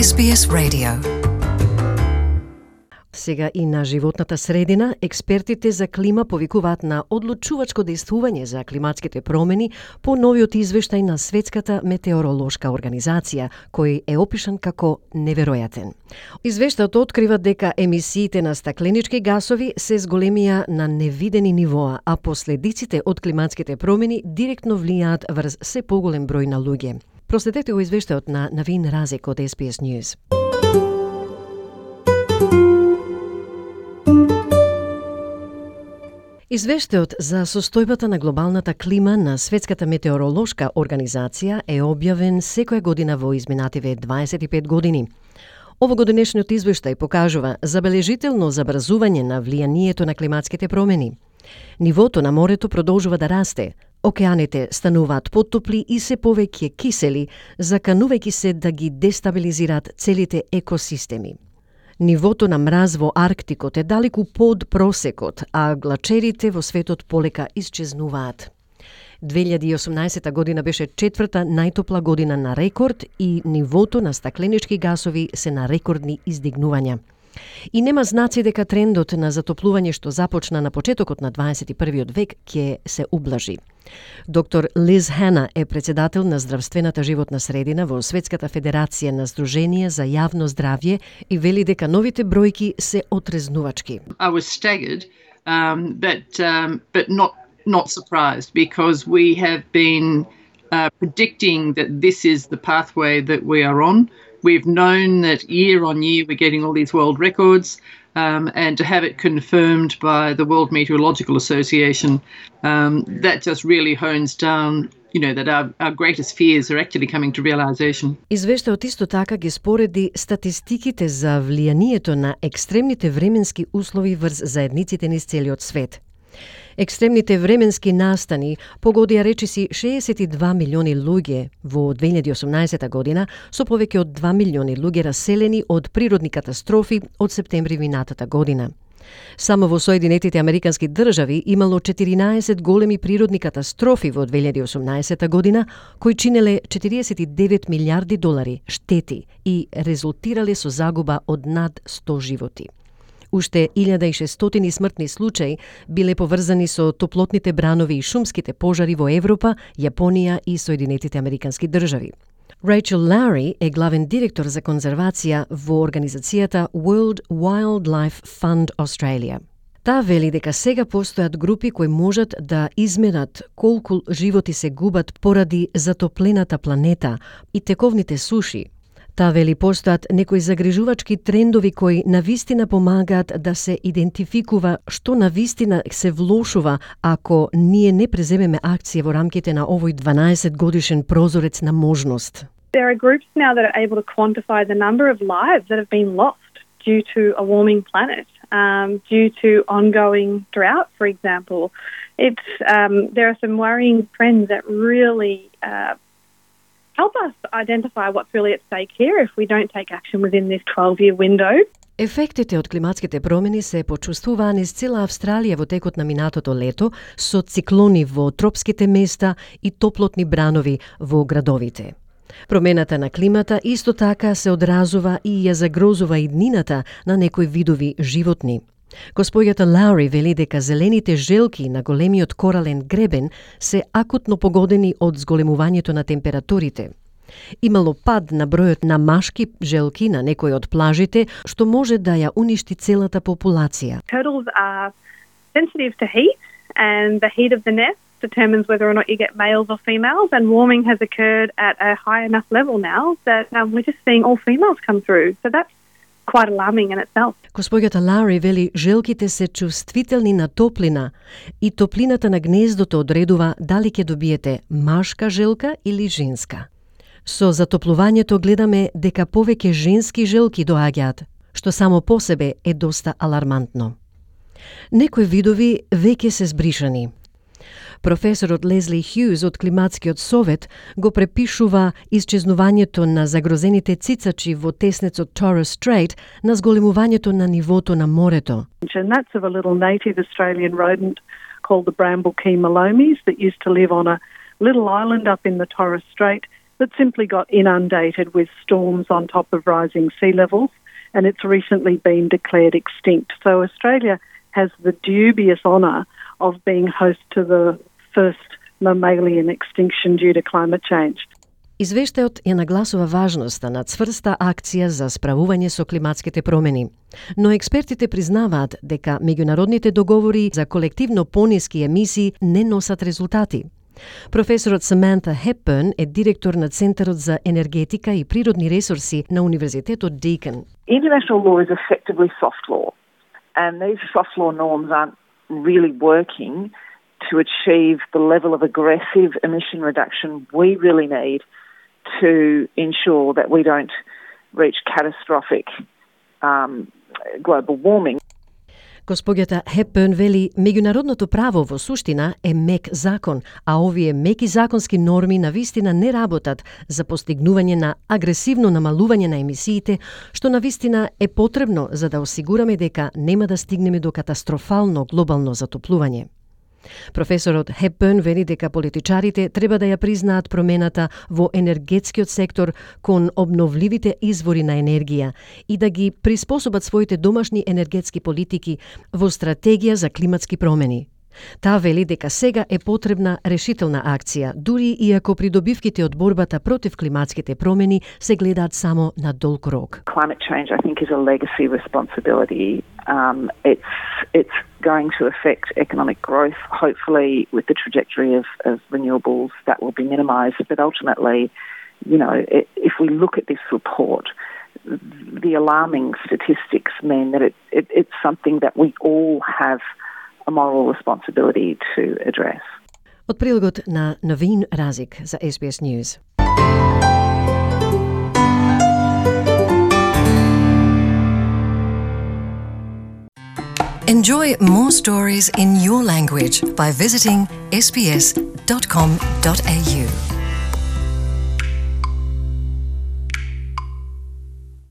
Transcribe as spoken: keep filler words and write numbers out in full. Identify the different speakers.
Speaker 1: Ес Би Ес Radio.
Speaker 2: Сега и на животната средина, експертите за клима повикуваат на одлучувачко действување за климатските промени по новиот извештај на Светската метеоролошка организација, кој е опишан како неверојатен. Извештајот открива дека емисиите на стакленички гасови се зголемија на невидени нивоа, а последиците од климатските промени директно влијаат врз се поголем број на луѓе. Проследете го извештајот на Навин Разек од Ес Би Ес News. Извештајот за состојбата на глобалната клима на Светската метеоролошка организација е објавен секоја година во изминативе дваесет и пет години. Овогодинешниот извештај покажува забележително забрзување на влијанието на климатските промени. Нивото на морето продолжува да расте, океаните стануваат поттопли и се повеќе кисели, заканувајќи се да ги дестабилизираат целите екосистеми. Нивото на мраз во Арктикот е далеку под просекот, а глачерите во светот полека исчезнуваат. две илјади и осумнаесета година беше четврта најтопла година на рекорд и нивото на стакленички гасови се на рекордни издигнувања. И нема знаци дека трендот на затоплување што започна на почетокот на дваесет и првиот век ќе се ублажи. Доктор Лиз Хана е председател на здравствената животна средина во Светската федерација на Сдружение за јавно здравје и вели дека новите бројки се отрезнувачки.
Speaker 3: I was staggered, um, but um, but not not surprised because we have been uh, predicting that this is the pathway that we are on. We've known that year on year we're getting all these world records, um, and to have it confirmed by the World Meteorological Association, um, that just really hones down, you know, that our, our greatest fears are actually coming to realization.
Speaker 2: Извештајот исто така ги спореди статистиките за влијанието на екстремните временски услови врз заедниците низ целиот свет. Екстремните временски настани погодија речиси шеесет и два милиони луѓе во две илјади и осумнаесета година, со повеќе од два милиони луѓе раселени од природни катастрофи од септември минатата година. Само во Соединетите Американски држави имало четиринаесет големи природни катастрофи во две илјади и осумнаесета година, кои чинеле четириесет и девет милијарди долари штети и резултирале со загуба од над сто животи. Уште илјада и шестстотини смртни случаи биле поврзани со топлотните бранови и шумските пожари во Европа, Јапонија и Соединетите Американски држави. Рейчел Лаури е главен директор за конзервација во организацијата World Wildlife Fund Australia. Таа вели дека сега постојат групи кои можат да измерат колку животи се губат поради затоплената планета и тековните суши. Таа вели постојат некои загрижувачки трендови кои навистина помагаат да се идентификува што навистина се влошува ако ние не преземеме акција во рамките на овој дванаесет годишен прозорец на можност.
Speaker 4: There are groups now that are able to quantify the number of lives that have been lost due to a warming planet, um, due to ongoing drought, for example. It's um, there are some worrying trends that really uh, help us identify what's really at stake here if we don't take action within this twelve-year window.
Speaker 2: Ефектите од климатските промени се почувствуваа низ цела Австралија во текот на минатото лето со циклони во тропските места и топлотни бранови во градовите. Промената на климата исто така се одразува и ја загрозува иднината на некои видови животни. Госпоѓата Лаури вели дека зелените желки на големиот корален гребен се акутно погодени од зголемувањето на температурите. Имало пад на бројот на машки желки на некои од плажите, што може да ја уништи целата популација.
Speaker 4: Turtles are sensitive to heat, and the heat of the nest determines whether or not you get males or females, and warming has occurred at a high enough level now that um, we're just seeing all females come through. So that's quite alarming in itself.
Speaker 2: Госпоѓата Лаури вели желките се чувствителни на топлина и топлината на гнездото одредува дали ќе добиете машка желка или женска. Со затоплувањето гледаме дека повеќе женски желки доаѓаат, што само по себе е доста алармантно. Некои видови веќе се збришани. Професорот Лезли Хјуз од Климатскиот совет го препишува исчезнувањето на загрозените цицачи во теснецот Torres Strait на зголемувањето на нивото на морето.
Speaker 5: And that's of a little native Australian rodent called the bramble key malomies that used to live on a little island up in the Torres Strait that simply got inundated with storms on top of rising sea levels, and it's recently been declared extinct. So Australia has the dubious honour of being host to the first mammalian extinction due to climate change.
Speaker 2: Извештајот ја нагласува важноста на цврста акција за справување со климатските промени. Но експертите признаваат дека меѓународните договори за колективно пониски емисии не носат резултати. Професорот Саманта Hepburn е директор на Центарот за енергетика и природни ресурси на Универзитетот Deakin.
Speaker 1: International law is effectively soft law, and these soft law norms aren't really working to achieve the level of aggressive emission reduction we really need to ensure that we don't reach catastrophic um, global warming.
Speaker 2: Госпоѓата Hepburn вели, меѓународното право во суштина е мек закон, а овие меки законски норми навистина не работат за постигнување на агресивно намалување на емисиите, што навистина е потребно за да осигураме дека нема да стигнеме до катастрофално глобално затоплување. Професорот Hepburn вели дека политичарите треба да ја признаат промената во енергетскиот сектор кон обновливите извори на енергија и да ги приспособат своите домашни енергетски политики во стратегија за климатски промени. Таа вели дека сега е потребна решителна акција, дури и ако придобивките од борбата против климатските промени се гледаат само на долг рок.
Speaker 1: Climate change, I think, is a legacy responsibility. Um, it's it's going to affect economic growth. Hopefully, with the trajectory of, of renewables, that will be minimised. But ultimately, you know, it, if we look at this report, the alarming statistics mean that it, it it's something that we all have a moral responsibility to address.
Speaker 2: Од прилогот на Новин Разик за S B S News.
Speaker 6: Enjoy more stories in your language by visiting s b s dot com dot a u.